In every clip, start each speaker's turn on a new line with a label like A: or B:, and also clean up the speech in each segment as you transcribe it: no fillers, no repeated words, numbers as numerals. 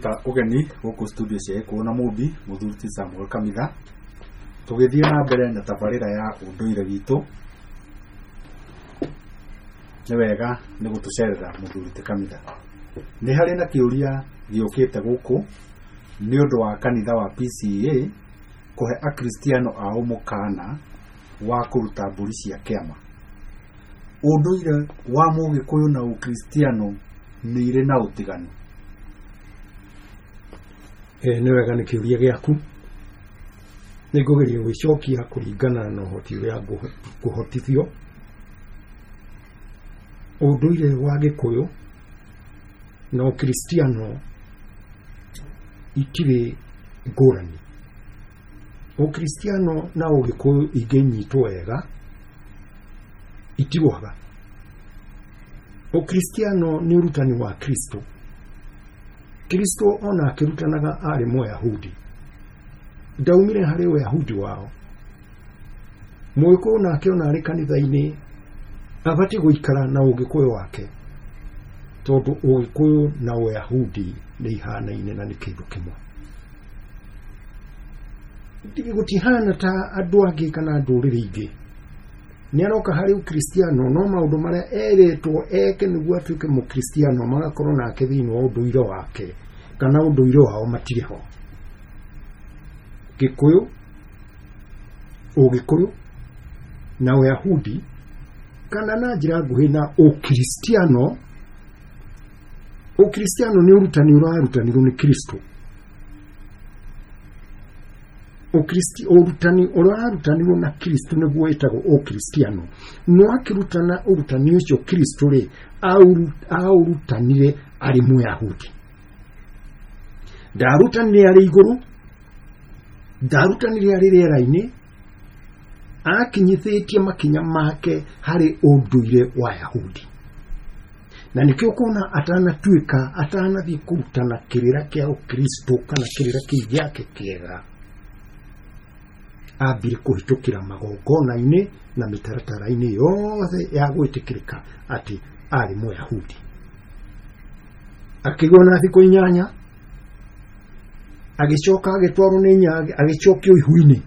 A: Ta ũgeni gũkũ studio cia Gĩkũyũ na Mũmbi, mũthuri ti Samuel Kamitha, tũgĩthiĩ na mbere na tabarĩra ya ũndũire witũ. Nĩ wega nĩ gũtũcerera mũthuri ti Kamitha. Nĩ harĩ na kĩũria gĩũkĩte gũkũ nĩ ũndũ wa kanitha wa PCEA kũhe akristiano ao mũkana wa kũruta mbũri cia kĩama. Ũndũire wa mũgĩkũyũ na ũkristiano nĩ irĩ na ũtiganu?
B: Nĩ wega nĩ kĩũria gĩaku. Nĩ ngũgeria gwĩcokia kũringana na ũhoti ũrĩa ngũhotithio. Ũndũire wa Gĩkũyũ na ũkristiano itirĩ ngũrani. Ũkristiano na ũgĩkũyũ ingĩnyitwo wega itirũaga. Ũkristiano nĩ ũrutani wa Kristo. Kristo ona akĩrutanaga arĩ Mũyahudi, ndaumire harĩ Ũyahudi wao. Mũgĩkũyũ nake ona arĩ kanitha-inĩ abatiĩ gũikara na ũgĩkũyũ wake, tondũ ũgĩkũyũ na Ũyahudi nĩ ihanaine na nĩ kĩndũ kĩmwe. Gũtihana ta andũ angĩ kana ndũrĩrĩ ingĩ. Nĩ aroka harĩ ũkristiano, no maũndũ marĩa erĩtwo eke nĩguo atuĩke mũkristiano magakorwo nake thĩinĩ wa ũndũire wake kana ũndũire wao matirĩ ho. Gĩkũyũ, ũgĩkũyũ na Ũyahudi, kana na njĩra nguhĩ na ũkristiano. Ũkristiano nĩ ũrutani ũrarutanirwo nĩ Kristo. Ũrutani ũrarutanirwo na Kristo nĩguo wĩtagwo ũkristiano. No akĩrutana ũrutani ũcio Kristo rĩ, aũrutanire arĩ Mũyahudi. Ndarutanire arĩ igũrũ, ndarutanire arĩ rĩera-inĩ, akinyithĩtie makinya make harĩ ũndũire wa Yahudi. Na nĩkĩo ũkona atanatuĩka, atanathiĩ kũrutana kĩrĩra kĩa ũkristo kana kĩrĩra kĩu gĩake kĩega, ambire kũhĩtũkĩra magongona-inĩ na mĩtaratara-inĩ yothe ya gwĩtĩkĩrĩka atĩ arĩ Mũyahudi. Akĩgwo na thikũ 8, agĩcoka agĩtwarwo nĩ inya, agĩcokio ihu-inĩ.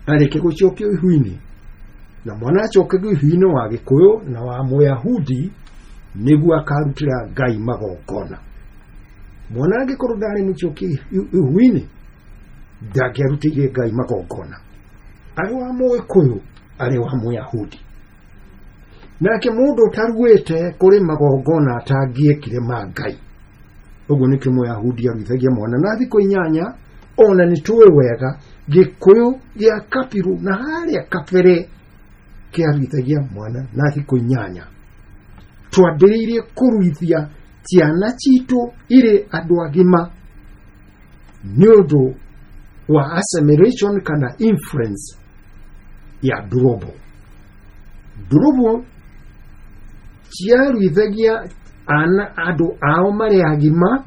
B: Arĩkia gũcokio ihu-inĩ, na mwana acokagio ihu-inĩ wa Gĩkũyũ na wa Mũyahudi nĩguo akarutĩra Ngai magongona. Mwana angĩkorwo ndarĩ mũcokie ihu-inĩ, ndangĩarutĩire Ngai magongona, arĩ wa Mũgĩkũyũ, arĩ wa Mũyahudi. Nake mũndũ ũtaruĩte kũrĩ magongona atangĩekire ma Ngai. Ũguo nĩkĩo Mũyahudi aruithagia mwana na thikũ 8. Ona nĩ tũĩ wega Gĩkũyũ gĩa Kabiru na harĩa kabere kĩaruithagia mwana na thikũ 8. Twambĩrĩirie kũruithia ciana citũ irĩ andũ agima nĩ ũndũ wa assimilation kana influence ya ndũrũmbo. Ndũrũmbo ciaruithagia ana andũ ao marĩ agima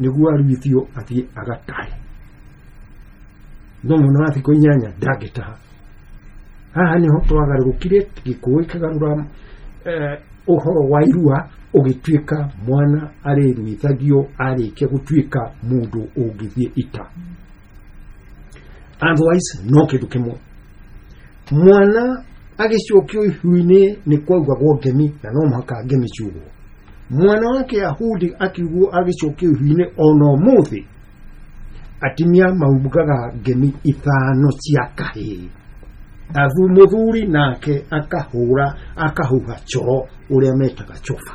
B: nĩguo aruithio athiĩ agatahe. No mwana wa thikũ 8 ndangĩtaha. Haha nĩho twagarũrũkire, Gĩkũyũ kĩgarũra ũhoro wa irua ũgĩtuĩka mwana arĩruithagio arĩkia gũtuĩka mũndũ ũngĩthiĩ ita. Otherwise no kĩndũ kĩmwe. Mwana agĩcokio ihu-inĩ nĩ kwaugagwo ngemi, na no mũhaka ngemi ciugwo. Mwana wa Kĩyahudi akiugwo agĩcokio ihu-inĩ ona ũmũthĩ, atumia maugaga ngemi 5 cia kahĩĩ. Athu mũthuri nake akahũra, akahuha coro ũrĩa metaga coba.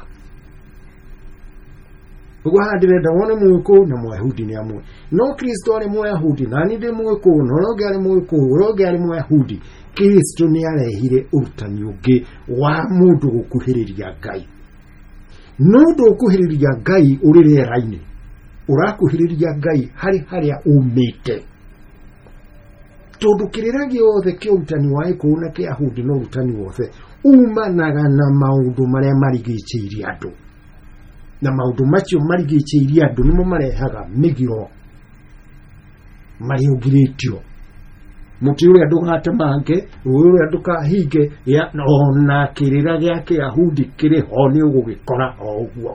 B: Ũguo haha ndĩrenda wone Mũgĩkũyũ na Mũyahudi nĩ amwe. No Kristo arĩ Mũyahudi, na niĩ ndĩ Mũgĩkũyũ, na ũrĩa ũngĩ arĩ Mũgĩkũyũ, ũrĩa ũngĩ arĩ Mũyahudi. Kristo nĩ arehire ũrutani ũngĩ wa mũndũ gũkuhĩrĩria Ngai. No ndũkuhĩrĩria Ngai ũrĩ rĩera-inĩ, ũrakuhĩrĩria Ngai harĩ harĩa umĩte. Tondũ kĩrĩra gĩothe kĩa ũrutani wa Gĩkũyũ na Kĩyahudi na ũrutani wothe umanaga na maũndũ marĩa marigicĩirie andũ. Na maũndũ macio marigicĩirie andũ nĩmo marehaga mĩgiro marĩa ũngirĩtio. Mũtĩ ũrĩa ndũgatemange, rũĩ ũrĩa ndũkahinge, ona kĩrĩra gĩa Kĩyahudi kĩrĩ ho nĩ ũgũgĩkora o ũguo.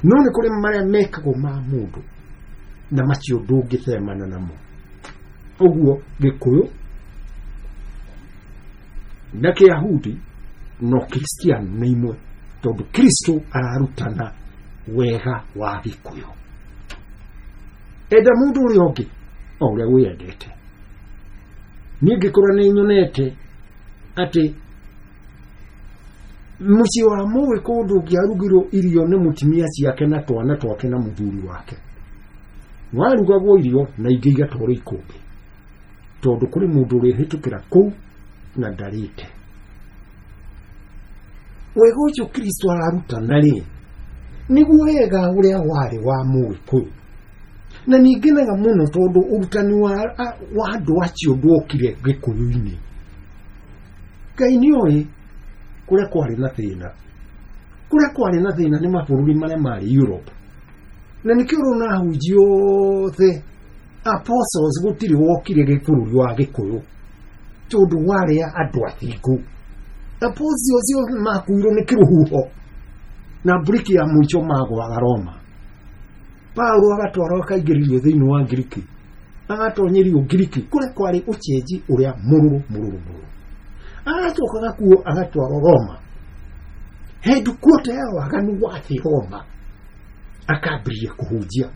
B: No nĩ kũrĩ marĩa mekagwo ma mũndũ na macio ndũngĩthemana namo. Ũguo Gĩkũyũ na Kĩyahudi no Kristiano nĩ imwe, tondũ Kristo ararutana wega wa Gĩkũyũ. Enda mũndũ ũrĩa ũngĩ o ũrĩa wĩyendete. Niĩ ngĩkũra nĩ nyonete atĩ mũciĩ wa Mũgĩkũyũ ndũngĩarugirwo irio nĩ mũtumia ciake na twana twake na mũthuri wake. Warugagwo irio na ingĩ igatwarwo ikũmbĩ, tondũ kũrĩ mũndũ ũrĩhĩtũkĩra kũu na ndarĩte. Wega ũcio Kristo ararutana rĩ, nĩguo wega ũrĩa warĩ wa Mũgĩkũyũ. Na ningĩnaga mũno tondũ ũrutani wa andũ acio ndwokire Gĩkũyũ-inĩ. Ngai nĩoĩ kũrĩa kwarĩ na thĩna. Kũrĩa kwarĩ na thĩna nĩ mabũrũri marĩa marĩ Europe. Na nĩkĩo ũrona ahunjia othe apostles gũtirĩ wokire bũrũri wa Gĩkũyũ, tondũ warĩ andũ athingu. Apostles othe makuirwo nĩ kĩrũhuho na mburiki ya mũico magwaga Roma. Paulo agatwarwo akaingĩrĩrio thĩinĩ wa Ngiriki, agatonyerio Ngiriki kũrĩa kwarĩ ũcenji ũrĩa mũrũrũ mũrũrũ mũrũrũ. Agacoka gakuo agatwarwo Roma, hĩndĩ kuota ya waganu wa thĩ Roma, akambĩrĩria kũhunjia.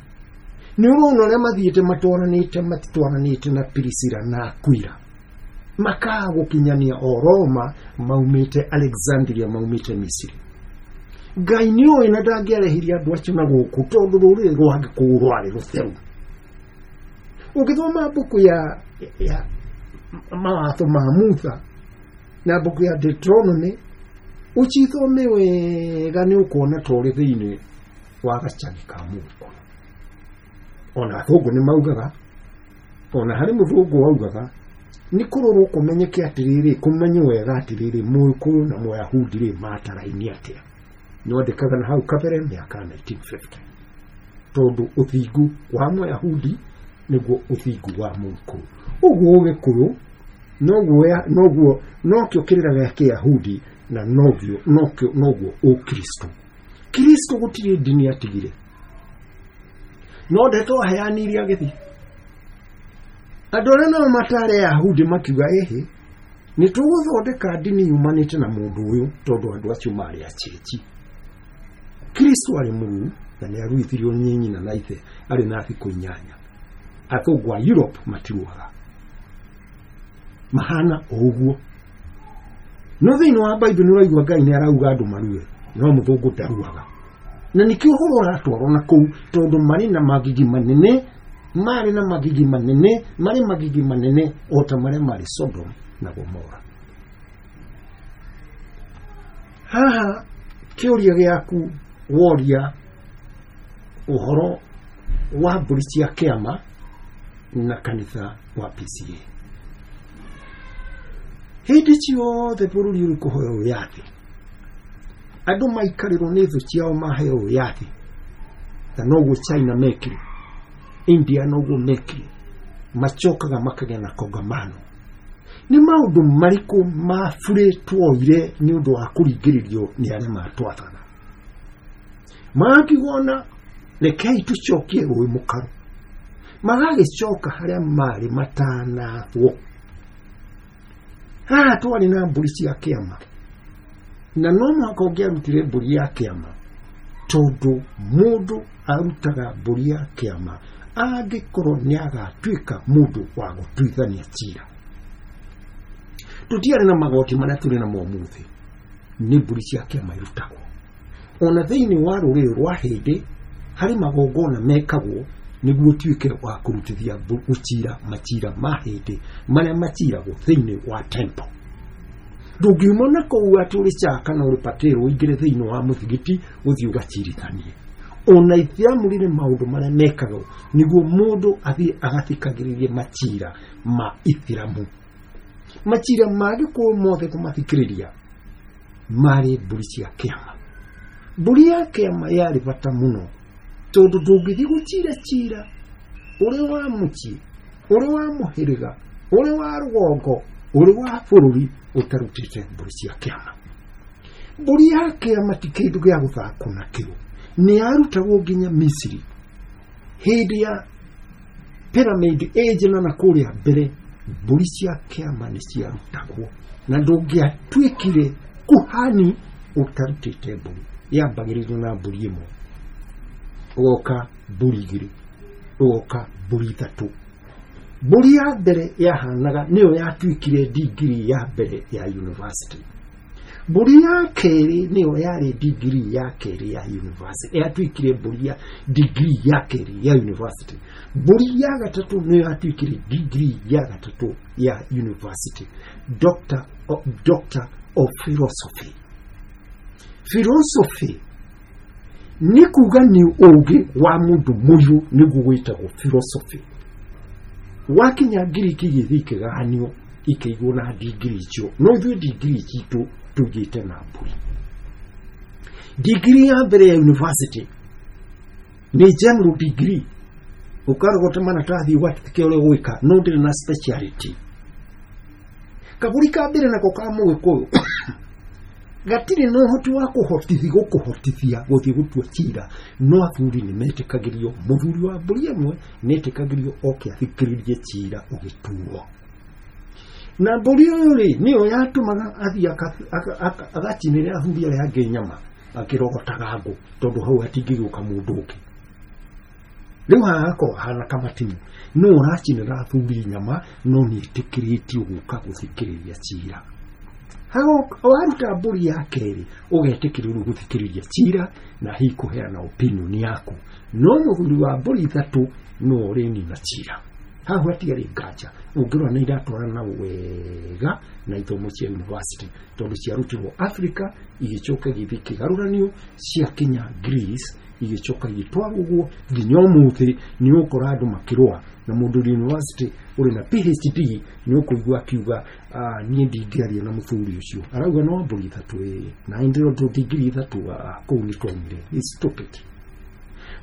B: Nĩ ũrona ũrĩa mathiĩte matwaranĩte, matitwaranĩte na Priscilla na Aquila, makaga gũkinyania o Roma, maumĩte Alexandria, maumĩte Misiri. Ngai nĩoĩ na ndangĩarehirie andũ acio na gũkũ, tondũ rũrĩrĩ rwa Gĩkũyũ rwarĩ rũtheru. Ũngĩthoma mbuku ya mawatho ma Musa na mbuku ya Deuteronomy, ũcithome wega nĩ ũkuona ta ũrĩ thĩinĩ wa gacagi ka Mũgĩkũyũ. Ona athũngũ nĩ maugaga, ona harĩ mũthũngũ waugaga, nĩ kũrorwo kũmenyeke atĩrĩrĩ, kũmenye wega atĩrĩrĩ, Mũgĩkũyũ na Mũyahudi rĩ mataraini atĩa. Nĩwandĩkaga na hau kabere mĩaka 1950, tondũ ũthingu wa Mũyahudi nĩguo ũthingu wa Mũgĩkũyũ. Ũguo Ũgĩkũyũ noguo nokĩo kĩrĩra gĩa Kĩyahudi na noguo Ũkristo. Kristo gũtirĩ ndini atigire, no ndeto aheanire agĩthiĩ. Andũ arĩa nao matarĩ Ayahudi makiuga ĩhĩ, nĩ tũgũthondeka ndini yumanĩte na mũndũ ũyũ, tondũ andũ acio marĩ acĩnji. Kristo arĩ mũruu na nĩ aruithirio nĩ nyina na ithe arĩ na thikũ 8. Athũngũ a Europe matiruaga, mahana o ũguo. No thĩinĩ wa Bible nĩ ũraigua Ngai nĩ arauga andũ marue, no mũthũngũ ndaruaga. Na nĩkĩo ũhoro ũratwarwo na kũu, tondũ marĩ na magigi manene, marĩ na magigi manene, marĩ magigi manene o ta marĩa marĩ Sodom na Gomora. Haha kĩũria gĩaku woria ũhoro wa mbũri cia kĩama na kanitha wa PCA. Hĩndĩ ciothe bũrũri ũrĩ kũhoya wĩyathi, andũ maikarĩrwo nĩ thũ ciao maheo wĩyathi, na noguo China mekire, India noguo mekire, macokaga makagĩa na kongamano. Nĩ maũndũ marĩkũ maburĩ tuoire nĩ ũndũ wa kũringĩrĩrio nĩ arĩa matwathana? Magakigona rekei tũcokie rũĩ mũkaro, magagĩcoka harĩa marĩ matanathwo. Haha twarĩ na mbũri cia kĩama, na no mũhaka ũngĩarutire mbũri ya kĩama, tondũ mũndũ arutaga mbũri ya kĩama angĩkorwo nĩ agatuĩka mũndũ wa gũtuithania cira. Tũtiarĩ na magoti marĩa tũrĩ namo ũmũthĩ, nĩ mbũri cia kĩama irutagwo. Ona thĩinĩ wa rũrĩrĩ rwa hĩndĩ harĩ magongona mekagwo nĩguo ũtuĩke wa kũrutithia gũcira macira ma hĩndĩ marĩa maciragwo thĩinĩ wa temple. Ndũngiuma na kũu atĩ ũrĩ Chaka kana ũrĩ Patel ũingĩre thĩinĩ wa mũthigiti ũthiĩ ũgacirithanie. Ona Ithiamu rĩrĩ maũndũ marĩa mekagwo nĩguo mũndũ athiĩ agathikagĩrĩrie macira ma Ithiramu. Macira ma Gĩkũyũ mothe kũmathikĩrĩria marĩ mbũri cia kĩama. Mbũri ya kĩama yarĩ bata mũno, tondũ ndũngĩthiĩ gũcira cira ũrĩ wa mũciĩ, ũrĩ wa mũhĩrĩga, ũrĩ wa rũgongo, ũrĩ wa bũrũri ũtarutĩte mbũri cia kĩama. Mbũri ya kĩama ti kĩndũ gĩa gũthakwo nakĩo. Nĩ yarutagwo nginya Misiri hĩndĩ ya pyramid age na kũrĩa mbere, mbũri cia kĩama nĩ ciarutagwo, na ndũngĩatuĩkire kuhani ũtarutĩte mbũri. Yambagĩrĩrio na mbũri ĩmwe, ũgoka mbũri igĩrĩ, ũgoka mbũri ithatũ. Mbũri ya mbere yahanaga nĩyo yatuĩkire degree ya mbere ya university. Mbũri ya kerĩ nĩyo yarĩ degree ya kerĩ ya university, yatuĩkire mbũri ya degree ya kerĩ ya university. Mbũri ya gatatũ nĩyo yatuĩkire degree ya gatatũ ya university, Doctor of Philosophy. Philosophy nĩ kuga nĩ ũgĩ wa mũndũ mũirũ, nĩguo gwĩtagwo philosophy. Wakinya Ngiriki igĩthiĩ ikĩgayanio ikĩigwo na degree icio, no ithuĩ degree citũ tũigĩte na mbũri. Degree ya mbere ya university nĩ general degree, ũkarogota maratathi ũgatĩkia ũrĩa ũgwĩka, no ndĩrĩ na speciality. Kabũri ka mbere nako ka mũgĩkũyũ gatirĩ na ũhoti wa kũhotithia gũkũhotithia gũthiĩ gũtua cira, no athuri nĩ metĩkagĩrio, mũthuri wa mbũri ĩmwe nĩ etĩkagĩrio oke athikĩrĩrie cira ũgĩtuo. Na mbũri ũyũ rĩ nĩyo yatũmaga athiĩ agacinĩre athuri arĩa angĩ nyama akĩrogotaga ngũ, tondũ hau hatingĩgĩũka mũndũ ũngĩ. Rĩu haha hakorwo hahana kamatimu, no ũracinĩra athuri nyama, no nĩ etĩkĩrĩtio gũka gũthikĩrĩria cira. Waruta mbũri ya kerĩ ũgetĩkĩrĩrwo gũthikĩrĩria cira na hihi kũheana opinion yaku, no mũthuri wa mbũri ithatũ no ũrĩnina cira. Hau hatiarĩ nganja, ũngĩrora nĩ iratwarana wega na ithomo cia university, tondũ ciarutirwo Africa igĩcoka igĩthiĩ ikĩgarũranio, ciakinya Greece igĩcoka igĩtwarwo ũguo nginya ũmũthĩ. Nĩ ũgũkora andũ makĩrũa na mũndũ ũrĩ university ũrĩ na PhD, nĩ ũkũigua akiuga niĩ ndingĩaria na mũthuri ũcio, arauga no mbũri ithatũ ĩĩ na ndĩrotwo degree ithatũ, kũu nĩ twaumire. It's stupid.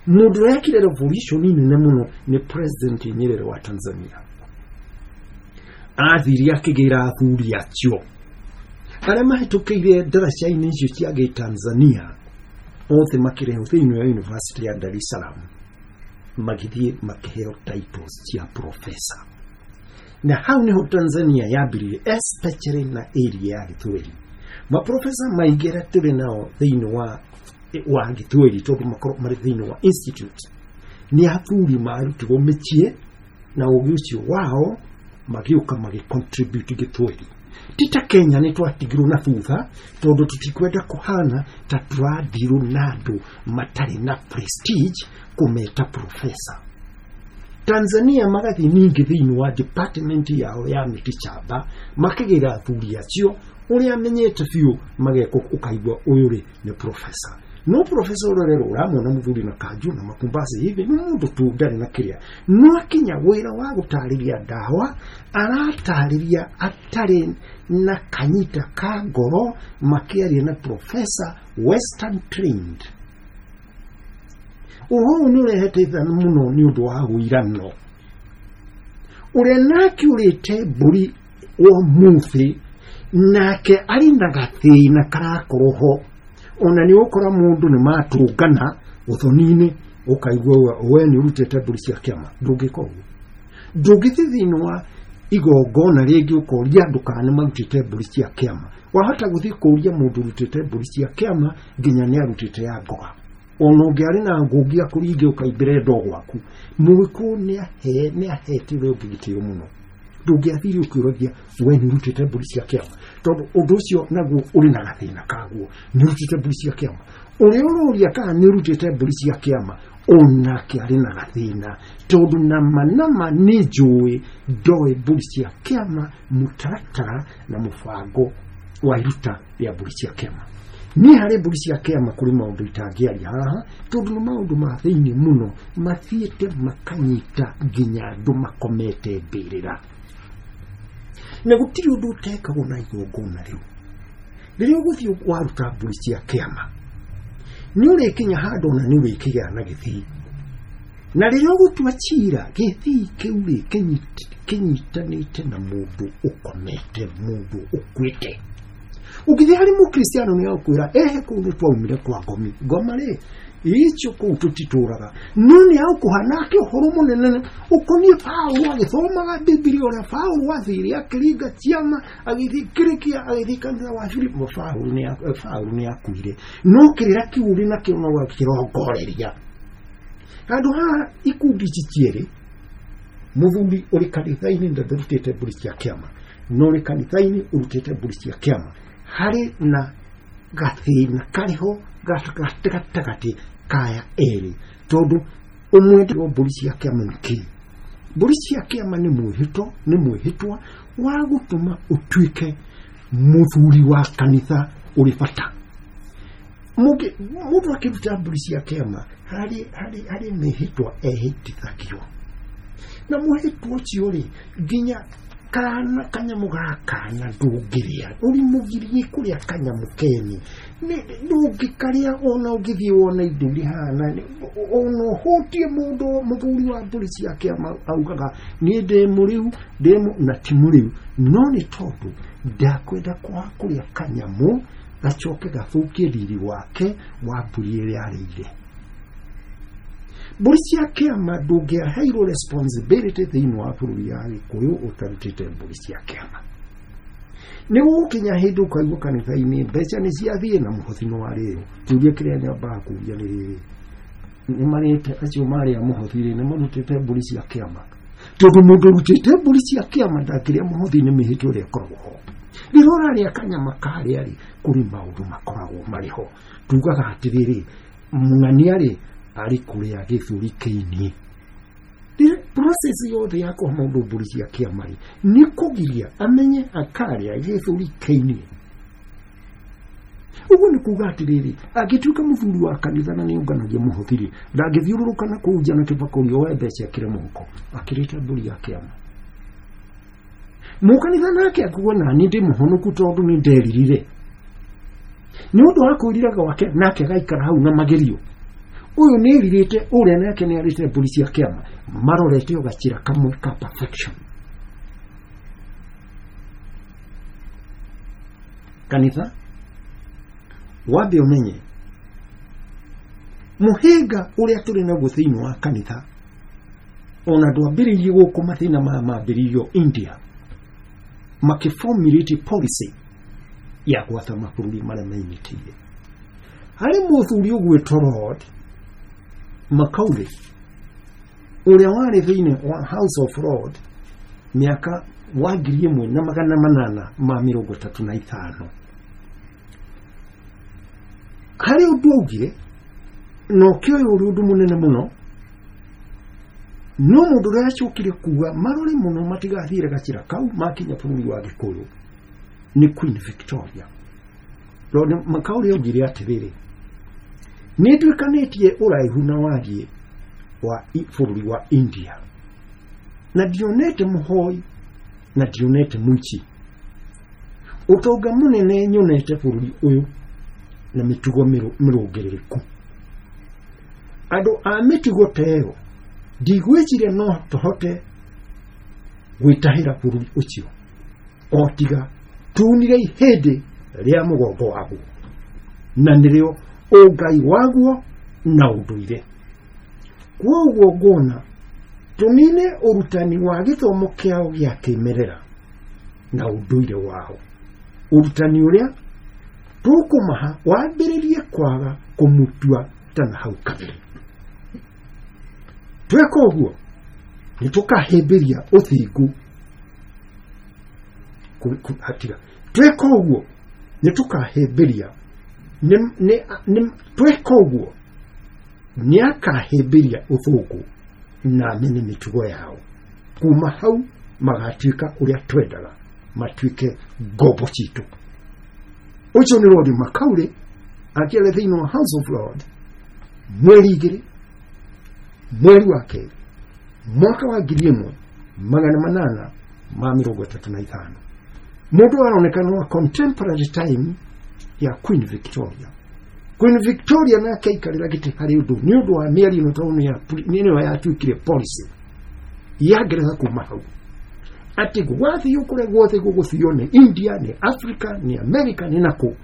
B: Mũndũ ũrĩa ekire revolution nene mũno nĩ President Nyerere wa Tanzania. Athire akĩgĩra athuri acio arĩa mahĩtũkĩire ndaraca-inĩ icio cia gĩ-Tanzania othe, makĩrehwo thĩinĩ wa University ya Dar es Salaam, magĩthiĩ makĩheo titles cia professor. Na hau niho Tanzania yambĩrĩirie, especially na area ya Gĩthweri. Maprofesa maingĩ arĩa tũrĩ nao thĩinĩ wa Gĩthweri, tondũ makorwo marĩ thĩinĩ wa institute, nĩ athuri marutirwo mĩciĩ na ũgĩ ũcio wao magĩũka magĩcontribute Gĩthweri. Ti ta Kenya nĩ twatigirwo na thutha, tondũ tũtikwenda kũhana ta tũrathirwo na andũ matarĩ na prestige kũmeta professor. Tanzania magathiĩ ningĩ thĩinĩ wa department yao ya mĩtĩ shamba, makĩgĩra athuri acio ũrĩa amenyete biũ, magekwo ũkaigua ũyũ rĩ nĩ professor. No professor ũrĩa rero ũramwona mũthuri na kanju na makumbasi hivi nĩ mũndũ tu ndarĩ na kĩrĩa, no akinya wĩra wa gũtarĩria ndawa aratarĩria atarĩ na kanyita ka ngoro, makĩaria na professor western trained. Ũhoro ũyũ nĩ ũrehete ithano mũno nĩ ũndũ wa wũirano ũrĩa nake ũrĩte mbũri ũmũthĩ, nake arĩ na gathĩna karakorwo ho. Ona nĩ ũgũkora mũndũ nĩ matũngana ũthoni-inĩ, ũkaigua we nĩ ũrutĩte mbũri cia kĩama. Ndũngĩka ũguo, ndũngĩthiĩ thĩinĩ wa igongona rĩngĩ ũkoria andũ kana nĩ marutĩte mbũri cia kĩama. Wahota gũthiĩ kũria mũndũ ũrutĩte mbũri cia kĩama nginya nĩ arutĩte ya ngoga, ona ũngĩarĩ na ngũngi akũringe ũkaimbĩre ndo gwaku. Mũgĩkũyũ nĩ ahete ũrĩa ũngĩ gĩtĩo mũno. Ndũngĩathire ũkĩũragia we nĩ ũrutĩte mbũri cia kĩama, tondũ ũndũ ũcio naguo ũrĩ na gathĩna kaguo. Nĩ ũrutĩte mbũri cia kĩama, ũrĩa ũroria kana nĩ ũrutĩte mbũri cia kĩama onake arĩ na gathĩna, tondũ nama nama nĩ njũĩ ndoĩ mbũri cia kĩama, mũtaratara na mũbango wa iruta rĩa mbũri cia kĩama. Niĩ harĩ mbũri cia kĩama kũrĩ maũndũ itangĩaria haha, tondũ nĩ maũndũ ma thĩinĩ mũno mathiĩte makanyita nginya andũ makomete mbĩrĩra, na gũtirĩ ũndũ ũtekagwo na igongona rĩu. Rĩrĩa ũgũthiĩ waruta mbũri cia kĩama nĩ ũrĩkinya handũ ona nĩ ũrĩkĩgĩa na gĩthii, na rĩrĩa ũgũtua cira gĩthii kĩu rĩ kĩnyitanĩte na mũndũ ũkomete, mũndũ ũkuĩte. Ũngĩthiĩ harĩ mũkristiano nĩ agũkwĩra ehe kũu nĩ twaumire kwa ngomi. Ngoma rĩ Icio kũu tũtitũraga no nĩ agũkũha nake ũhoro mũnene ũkoniĩ Paũlũ agĩthomaga Bibilia ũrĩa Paũlũ athire akĩringa ciama agĩthiĩ Kĩrĩkia agĩthiĩ kanitha wa Filipo. Paũlũ nĩ akuire no kĩrĩra kĩu ũrĩ nakĩo no gakĩrongoreria handũ haha ikundi ici cierĩ mũthuri ũrĩ kanitha-inĩ na ndarutĩte mbũri cia kĩama na ũrĩ kanitha-inĩ ũrutĩte mbũri cia kĩama harĩ na gathĩna karĩho gatagatĩ kaya erĩ tondũ ũmwe ndĩrwo mbũri cia kĩama nĩ kĩĩ. Mbũri cia kĩama nĩ mwĩhĩtwa, nĩ mwĩhĩtwa wa gũtũma ũtuĩke mũthuri wa kanitha ũrĩ bata. Mũndũ akĩruta mbũri cia kĩama harĩ mĩhĩtwa ehĩtithagio na mwĩhĩtwa ũcio rĩ nginya kana kanyamũ ga kana ndũngĩrĩa ũrĩ mũgirie kũrĩa kanyamũ kene ndũngĩkarĩa ona ũngĩthiĩ wone indo iria ihana ona ũhũtie mũndũ mũthuri wa mbũri cia kĩama augaga niĩ ndĩ mũrĩu na ti mũrĩu no nĩ tondũ ndakwenda kwaga kũrĩa kanyamũ gacoke gathũkie riri wake wa mbũri ĩrĩa arĩire. Mbũri cia kĩama ndũngĩaheirwo responsibility thĩinĩ wa bũrũri ya Gĩkũyũ ũtarutĩte mbũri cia kĩama. Nĩ gũgũkinya hĩndĩ ũkaigua kanitha-inĩ mbeca nĩ ciathiĩ na mũhothi nĩ warĩo. Kĩũria kĩrĩa nyambaga kũũria nĩ rĩrĩ, nĩ marĩte acio marĩa mũhothi rĩ nĩ marutĩte mbũri cia kĩama? Tondũ mũndũ ũrutĩte mbũri cia kĩama ndangĩrĩa mũhothi nĩ mĩhĩtwa ĩrĩa ĩkoragwo ho. Rĩrĩa ũrarĩa kanyama karĩa rĩ kũrĩ maũndũ makoragwo marĩ ho. Tugaga atĩrĩrĩ mũng'ania rĩ arĩ kũrĩa gĩthũri kĩini. Process yothe ya kũhe mũndũ mbũri cia kĩama rĩ nĩ kũgiria amenye akarĩa gĩthũri kĩini. Ũguo nĩ kuga atĩrĩrĩ angĩtuĩka mũthuri wa kanitha na nĩũnganagia mũhothi rĩ ndangĩthiũrũrũka na kũu nja na kĩbakũri oe mbeca ekĩre mũhuko akĩrĩte mbũri ya kĩama. Mũkanitha nake akuga nani ndĩ mũhonoku tondũ nĩ nderirire nĩ ũndũ wa kwĩrira gwake nake agaikara hau na magerio. Ũyũ nĩ erirĩte ũrĩa nake nĩ arĩte mbũri cia kĩama marorete o gacĩra kamwe ka perfection. Kanitha wambe ũmenye mũhĩnga ũrĩa tũrĩ naguo thĩinĩ wa kanitha ona ndwambĩrĩirie gũkũ mathĩna maya mambĩrĩirio India makĩformulate policy ya gwatha mabũrũri marĩa menyitĩire. Harĩ mũthuri ũgwĩtwo Lord Macaulay ũrĩa warĩ thĩinĩ wa House of Lord mĩaka wa 1835 harĩ ũndũ augire na ũkĩoya ũrĩ ũndũ mũnene mũno no mũndũ ũrĩa acokire kuga marore mũno matigathiĩre gacĩra kau makinya bũrũri wa Gĩkũyũ nĩ Queen Victoria. Lord Macaulay augire atĩrĩrĩ nĩ nduĩkanĩtie ũraihu na wariĩ wa bũrũri wa India na ndionete mũhoi na ndionete mũici. Ũtonga mũnene nyonete bũrũri ũyũ na mĩtugo mĩrũngĩrĩrĩku. Andũ a mĩtugo ta ĩyo ndigwĩciria no tũhote gwĩtahĩra bũrũri ũcio o tiga tunire ihĩndĩ rĩa mũgongo waguo na nĩrĩo ũngai waguo na ũndũire. Kwoguo nguona tũnine ũrutani wa gĩthomo kĩao gĩa kĩmerera na ũndũire wao. Ũrutani ũrĩa tũkũmaha wambĩrĩrie kwaga kũmutua ta na hau kabere. Tweka ũguo nĩ tũkahĩmbĩria ũthingu hatiga. Tweka ũguo nĩ tũkahĩmbĩria tweka ũguo nĩ akahĩmbĩria ũthũngũ na amene mĩtugo yao. Kuma hau magatuĩka ũrĩa twendaga matuĩke ngombo citũ. Ũcio nĩ Lord Macaulay akĩaria thĩinĩ wa House of Lord mweri 2 mweri wa 2 mwaka wa 1835. Mũndũ aronekana wa contemporary time ya Queen Victoria. Queen Victoria nake aikarĩra gĩtĩ harĩ ũndũ nĩ ũndũ wa mĩario ĩno tondũ nĩyo yatuĩkire policy ya Ngeretha kuma hau atĩ gwathiĩ kũrĩa guothe gũgũthio nĩ India nĩ Africa nĩ America nĩ nakũ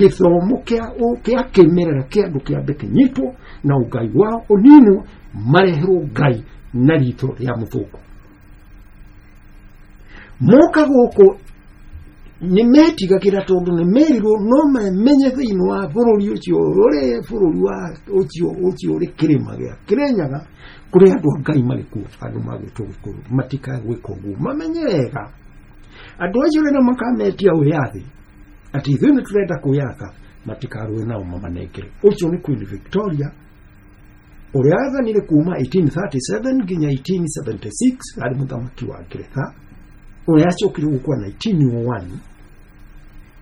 B: Gĩthomo kĩa kĩmerera kĩa andũ kĩambe kĩnyitwo na ũngai wao ũninwo, mareherwo Ngai na ritho rĩa mũthũngũ. Moka gũkũ nĩ metigagĩra tondũ nĩ merirwo no mamenye thĩinĩ wa bũrũri ũcio ũrĩ bũrũri wa ũcio ũrĩ kĩrĩma gĩa Kĩrĩnyaga kũrĩ andũ a Ngai marĩ kuo, andũ magwĩtwo Gĩkũyũ matikae gwĩka ũguo. Mamenye wega andũ acio rĩrĩa makametia wĩyathi atĩ ithuĩ nĩ tũrenda kwĩyatha, matikarũe nao mamanengere. Ũcio nĩ Queen Victoria ũrĩa athanire kuma 1837 nginya 1876, arĩ mũthamaki wa Ngeretha ũrĩa acokire gũkua 1901,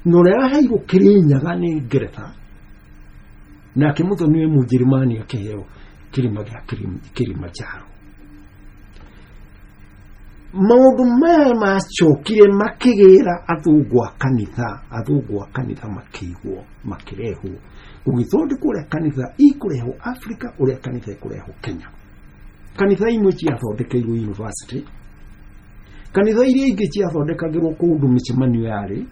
B: na ũrĩa aheirwo Kĩrĩnyaga nĩ Ngeretha, nake mũthoni wĩ Mũnjĩrĩmani akĩheo kĩrĩma gĩa Kilimanjaro. Maũndũ maya macokire makĩgĩra athũngũ a kanitha, athũngũ a kanitha makĩigwo, makĩrehwo gũgĩthondekwo ũrĩa kanitha ikũrehwo Africa, ũrĩa kanitha ĩkũrehwo Kenya. Kanitha imwe ciathondekeirwo university, kanitha iria ingĩ ciathondekagĩrwo kũndũ mĩcemanio yarĩ,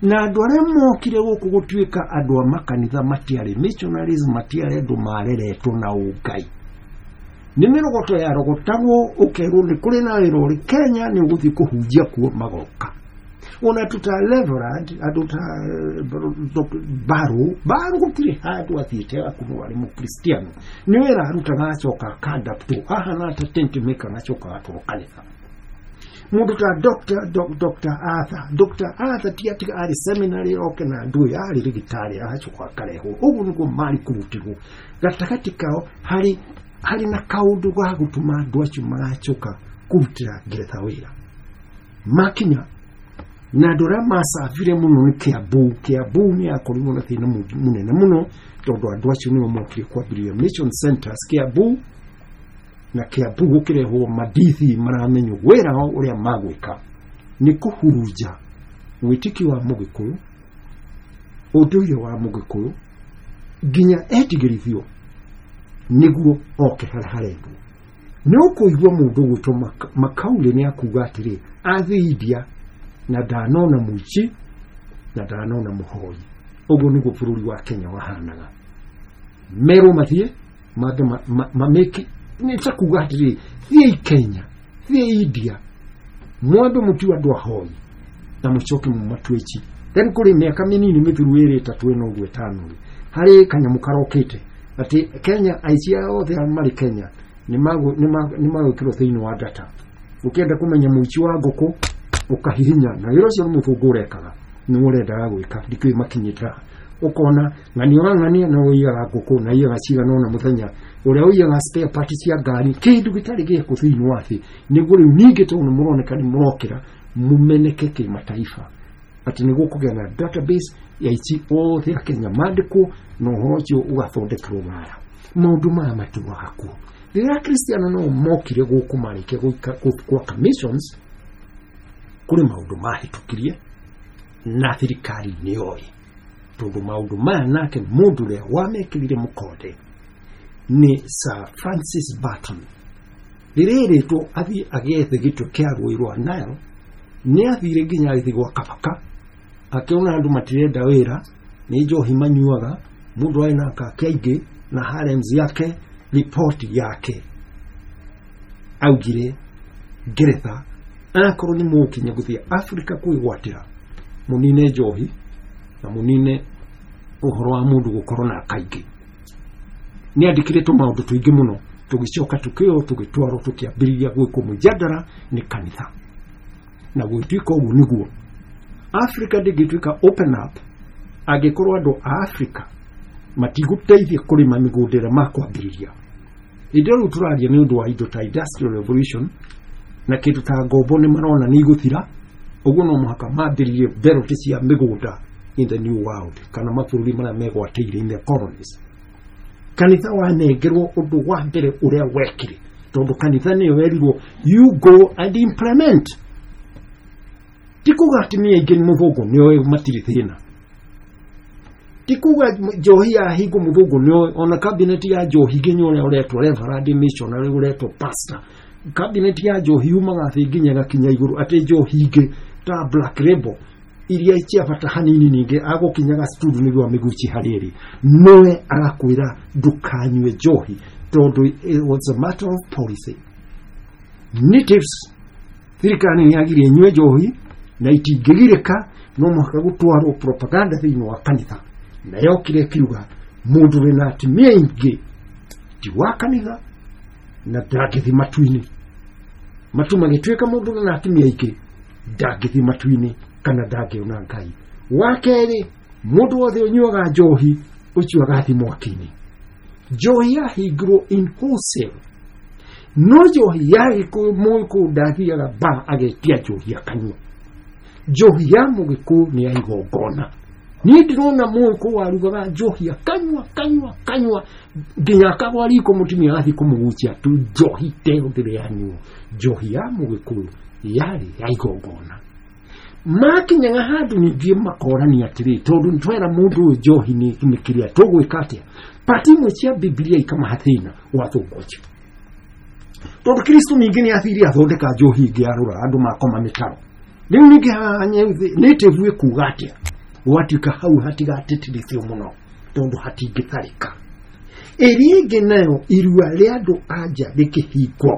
B: na andũ arĩa mokire gũkũ gũtuĩka andũ a makanitha matiarĩ missionaries, matiarĩ andũ mareretwo na ũngai. Nĩ mĩrogoto yarogotagwo ũkerwo nĩ kũrĩ na wĩra ũrĩ Kenya, nĩ ũgũthiĩ kũhunjia kuo, magoka. Ona andũ ta Reverend, andũ ta Baru gũtirĩ handũ athiĩte agakorwo arĩ mũkristiano, nĩ wĩra arutaga acoka akadaptwo ahana ta tent maker, agacoka agatwarwo kanitha. Mũndũ ta Dr. Arthur, Dr. Arthur ti atĩ arĩ seminary oke na andũ aya, arĩ rĩgĩtarĩ agacoka akarehwo. Ũguo nĩguo marĩ kũrutĩrwo gatagatĩ kao, harĩ na kaũndũ ga gũtũma andũ acio maracoka kũrutĩra Ngeretha wĩra makinya. Na andũ arĩa macabire mũno nĩ Kiambu. Kiambu nĩ yakorirwo na thĩna mũnene mũno tondũ andũ acio nĩo mokire kwambĩrĩria mission centers Kiambu, na Kiambu gũkĩrehwo madithi maramenywo wĩra wao ũrĩa magwĩka nĩ kũhurunja wĩtĩkio wa Mũgĩkũyũ, ũndũire wa Mũgĩkũyũ, nginya etigĩrithio nĩguo oke harĩa harendwo. Nĩ ũkũigua mũndũ ũgwĩtwo Makaulĩ nĩ akuga atĩrĩ, athiĩ India na ndanona mũici na ndanona mũhoi. Ũguo nĩguo bũrũri wa Kenya wahanaga. Merwo mathiĩ mambe mamĩki, nĩ ta kuga atĩrĩ, thiĩi Kenya, thiĩi India, mwambe mũtue andũ ahoi na mũcoke mũmatue ici. Then kũrĩ mĩaka mĩnini mĩthiru ĩrĩ ĩtatũ ĩno ũguo ĩtano rĩ, harĩ kanyamũ karokĩte atĩ Kenya aici othe marĩ Kenya nĩ magwĩkĩrwo thĩinĩ wa data. Ũkĩenda kũmenya mũici wa ngũkũ ũkahihinya, na wĩra ũcio nĩ mũthũngũ ũrekaga, nĩ ũrendaga gwĩka, ndikĩũĩ makinyĩte haha. Ũkona ng'ania ũrang'ania na ũiyaga ngũkũ na iyaga cigana ũna mũthenya, ũrĩa ũiyaga spare part cia ngari, kĩndũ gĩtarĩ gĩkũ thĩinĩ wa thĩ. Nĩguo rĩu ningĩ tondũ nĩ mũroneka nĩ mũrokĩra mũmeneke kĩmataifa atĩ nĩ gũkũgĩa na database ya aici othe a Kenya mandĩkwo, na ũhoro ũcio ũgathondekerwo Rũraya. Maũndũ maya matũaga kuo. Rĩrĩa Kristiano no mokire gũkũ marĩkia gwaka missions, kũrĩ maũndũ mahĩtũkirie na thirikari nĩ yoĩ, tondũ maũndũ maya nake mũndũ ũrĩa wamekĩrire mũkonde nĩ Sir Francis Barton. Rĩrĩa erĩtwo athiĩ agethe gĩtwe kĩa rũĩ rwa Nile, nĩ athire nginya agĩthiĩ gwa Kabaka, akĩona andũ matirenda wĩra, nĩ njohi manyuaga, mũndũ arĩ na akake aingĩ na harems yake. Ripoti yake augire Ngeretha akorwo nĩ mũgũkinya gũthiĩ Afrika kwĩgwatĩra, mũnine njohi na mũnine ũhoro wa mũndũ gũkorwo na akaingĩ. Nĩ andĩkire tũmaũndũ tũingĩ mũno, tũgĩcoka tũkĩoywo tũgĩtwarwo tũkĩambĩrĩria gwĩkwo mũjadara nĩ kanitha. Na gũgĩtuĩka ũguo nĩguo Africa ndĩngĩtuĩka open up angĩkorwo andũ a Africa matigũteithia kũrĩma mĩgũnda ĩrĩa makwambĩrĩria. Hĩndĩ ĩyo rĩu tũraria nĩ ũndũ wa indo ta industrial revolution na kĩndũ ta ngombo nĩ marona nĩ igũthira, ũguo no mũhaka mambĩrĩrie mberoti cia mĩgũnda in the new world, kana mabũrũri marĩa megwatĩire in the colonies. Kanitha wanengerwo ũndũ wa mbere ũrĩa wekire, tondũ kanitha nĩyo werirwo you go and implement. Ti kuga atumia aingĩ nĩ mũthũngũ nĩoĩ matirĩ thĩna, ti kuga njohi ya hingo mũthũngũ nĩoĩ, ona cabinet ya njohi nginya ũrĩa ũretwo reverend missionary ũretwo pastor, cabinet ya njohi yumaga thĩ nginya ĩgakinya igũrũ, atĩ njohi ingĩ ta Black Label iria cia bata hanini ningĩ agũkinyaga studio nĩguo amĩgucie harĩa ĩrĩ nowe agakwĩra ndũkanyue njohi tondũ it was a matter of policy. Natives thirikari nĩ yagirie inyue njohi na itingĩgirĩka no mũhaka gũtwarwo propaganda thĩinĩ wa kanitha na yokire ĩkiuga mũndũ wĩna atumia aingĩ ti wa kanitha na ndangĩthiĩ matu-inĩ. Matu magĩtuĩka mũndũ wĩna atumia aingĩ ndangĩthiĩ matu-inĩ kana ndangĩona Ngai. Wa kerĩ, mũndũ wothe ũnyuaga njohi ũcio agathiĩ mwaki-inĩ. Njohi yahingirwo in wholesale, no njohi ya Gĩkũyũ Mũgĩkũyũ ndathiaga ba agetia njohi akanyua. Njohi ya Mũgĩkũyũ nĩ ya igongona. Niĩ ndĩrona Mũgĩkũyũ warugaga njohi akanyua kanyua kanyua nginya akagwa riko mũtumia agathiĩ kũmũgucia tu njohi teo ndĩrĩ yanyuo. Njohi ya Mũgĩkũyũ yarĩ ya igongona. Makinyaga handũ ningĩ makorania atĩrĩ tondũ nĩtwera mũndũ ũyũ njohi nĩ kĩrĩa tũgwĩka atĩa. Pati imwe cia Bibilia ikamaha thĩna wa thũngũ ũcio tondũ Kristo ningĩ nĩ athire athondeka njohi ĩngĩ arũra andũ makoma mĩtaro. Rĩu ningĩ haha native ĩkuga atĩa gwatuĩka hau hatigatĩtĩrithio mũno tondũ hatingĩtharĩka. Ĩrĩa ĩngĩ nayo irua rĩa andũ anja rĩkĩhingwo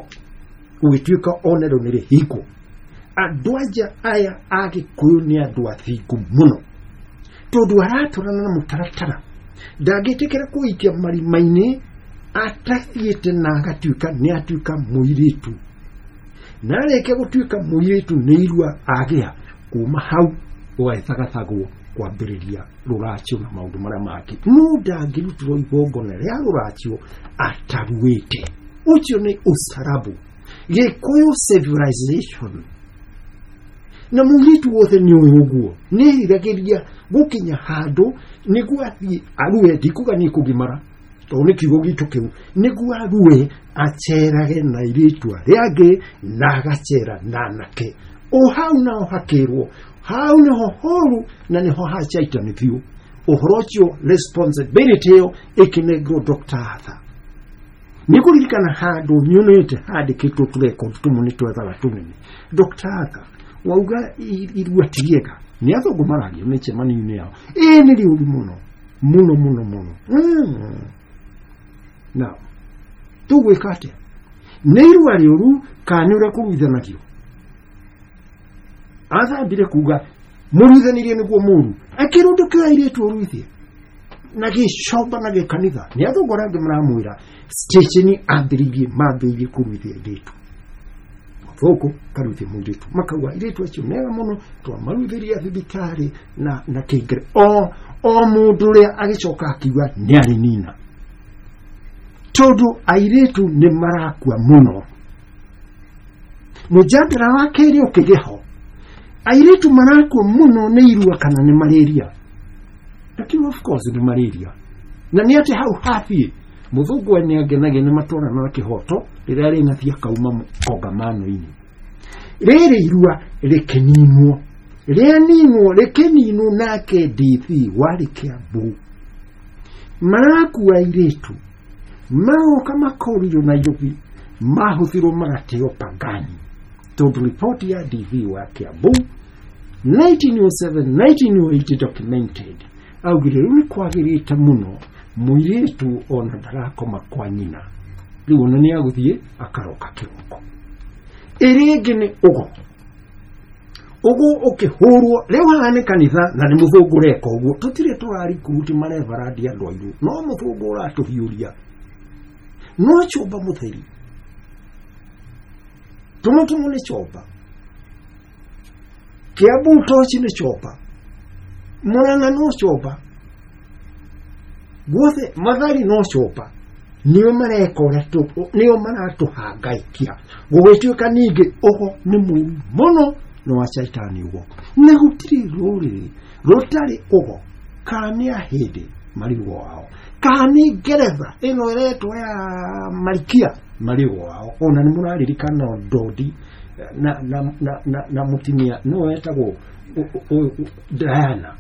B: gũgĩtuĩka onarĩo nĩ rĩhingwo. Andũ anja aya a Gĩkũyũ nĩ andũ athingu mũno tondũ aratwarana na mũtaratara ndangĩtĩkĩra kũikia marima-inĩ atathiĩte na agatuĩka nĩ atuĩka mũirĩtu na arĩkia gũtuĩka mũirĩtu nĩ irua agĩa kuma hau gũgagĩthagathagwo kwambĩrĩria rũracio na maũndũ marĩa mangĩ. No ndangĩrutĩrwo igongona rĩa rũracio ataruĩte. Ũcio nĩ ũcarabu Gĩkũyũ civilization. Na mũirĩtu wothe nĩ ũĩ ũguo nĩ eriragĩria gũkinya handũ nĩguo athiĩ arue, ndikuga nĩ kũgimara tondũ nĩ kiugo gitũ kĩu, nĩguo arue acerage na airĩtu arĩa angĩ na agacera na anake. O hau nao hakĩrwo hau nĩho horu na nĩho hacaitani biũ. Ũhoro ũcio responsibility ĩyo ĩkĩnengerwo Dr. Arthur. Nĩ kũririkana handũ nyonete handĩkĩtwo tũrekondi tũmwe nĩ twethaga tũnene. Dr. Arthur wauga irua ti rĩega nĩ athũngũ maragia mĩcemanio-inĩ yao ĩĩ nĩ rĩũru mũno mũno mũno mũno. Now tũgwĩka atĩa? Nĩ irua rĩũru kana nĩ ũrĩa kũruithanagio? Athambire kuga mũruithanirie nĩguo mũru akĩrwo ndũkĩoya airĩtu ũruithie na gĩcomba na gĩkanitha. Nĩ athũngũ arĩa angĩ maramwĩra station ambĩrĩirie mambĩrĩirie kũruithia airĩtu thũkũ karuithia mũirĩtu makauga airĩtu acio mega mũno twamaruithirie thibitarĩ na kĩngere o mũndũ ũrĩa agĩcoka akiuga nĩ arĩ nina tondũ airĩtu nĩ marakua mũno. Mũjadara wa kerĩ ũkĩgĩa ho airĩtu marakua mũno nĩ irua kana nĩ malaria? Lakini of course nĩ malaria. Na nĩ atĩ hau hathiĩ mũthũngũ nĩ angenagia nĩ matwarana na kĩhoto rĩrĩa rĩnathiĩ akauma kongamano-inĩ. Rĩrĩ irua rĩkĩninwo rĩaninwo rĩkĩninwo nake DC warĩ Kĩambu marakua airĩtu magoka makorirwo Nairobi mahũthirwo magateo Pangani tondũ riboti ya DV wa Kĩambu 1907 1908 documented augire rĩu nĩ kwagĩrĩte mũno mũirĩtu ona ndarakoma kwa nyina rĩu ona nĩ agũthiĩ akaroka kĩroko. Ĩrĩa ĩngĩ nĩ ũgo. Ũgo ũkĩhũrwo rĩu haha nĩ kanitha na nĩ mũthũngũ ũreka ũguo tũtirĩ tũrarikuruti marevarandi andũ airũ no mũthũngũ ũratũhiũria no chũmba mũtheri tũmwe tũmwe nĩ chomba Kĩambu toci nĩ chomba Murang'a no chomba guothe Mathari no chomba nĩo mareka ũrĩa nĩo maratũhangaikia gũgĩtuĩka ningĩ ũgo nĩ mũru mũno nĩ wa caitani ũgo na gũtirĩ rũrĩrĩ rũtarĩ ũgo kana nĩ ahĩndĩ marĩ ũgo wao kana nĩ ngeretha ĩno ĩretwo ya marikia marĩ ũgo wao. Ona nĩ mũraririkana Ndodi na mũtumia no wetagwo Diana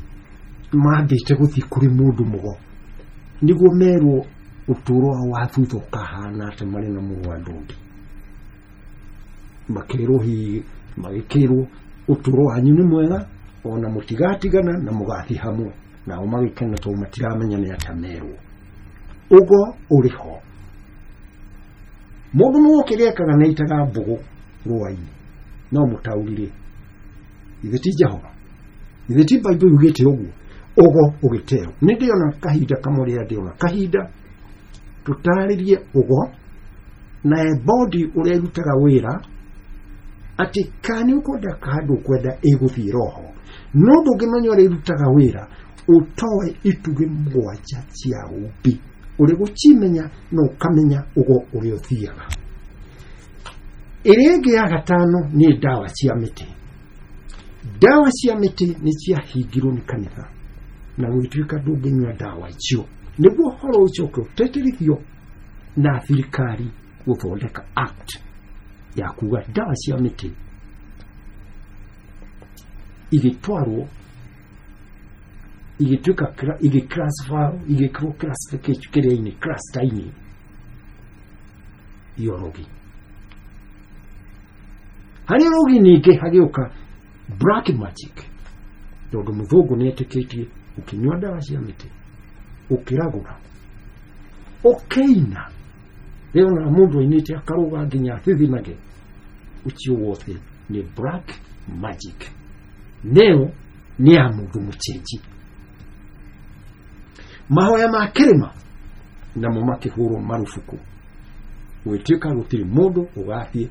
B: mambĩte gũthiĩ kũrĩ mũndũ mũgo nĩguo merwo ũtũũro wao wa thutha ũkahana atĩ marĩ na mũrũ wa Ndodi. Makĩrwo hihi magĩkĩrwo ũtũũro wanyu nĩ mwega Ona mũtigatigana na mũgathiĩ hamwe. Nao magĩkena tondũ matiramenya nĩ atĩa merwo. Ũgo ũrĩ ho. Mũndũ mũgo kĩrĩa ekaga nĩ aitaga mbũgũ rũa-inĩ. No mũtaũri-rĩ, ithe ti Jehova, ithe ti Bible yugĩte ũguo. Ũgo ũgĩteo. Nĩ ndĩona kahinda kamwe rĩrĩa ndĩona kahinda tũtarĩrie ũgo na body ũrĩa ĩrutaga wĩra atĩ kana nĩ ũkwenda kana ndũkwenda ĩgũthiĩ roho. No ndũngĩmenya ũrĩa ĩrutaga wĩra ũtoe itugĩ mũgwanja cia ũmbi. Ũrĩ gũcimenya na ũkamenya ũgo ũrĩa ũthiaga. Ĩrĩa ĩngĩ ya gatano nĩ ndawa cia mĩtĩ. Ndawa cia mĩtĩ nĩ ciahingirwo nĩ kanitha na gũgĩtuĩka ndũngĩnyua ndawa icio. Nĩguo ũhoro ũcoke ũtĩtĩrithio na thirikari gũthondeka act ya kuga ndawa cia mĩtĩ igĩtwarwo igĩtuĩka igĩclassify igĩkĩrwo classification kĩrĩa-inĩ cluster-inĩ ya ũrogi. Harĩ ũrogi ningĩ hagĩũka black magic, tondũ mũthũngũ nĩ etĩkĩtie ũkĩnyua ndawa cia mĩtĩ ũkĩragũra ũkĩina rĩo na mũndũ ainĩte akarũga nginya athithinage, ũcio wothe nĩ black magic. Neo nĩ ya mũndũ mũcenji. Mahoya ma kĩrĩma namo makĩhũrwo marubuku, gwĩtuĩka gũtirĩ mũndũ ũgathiĩ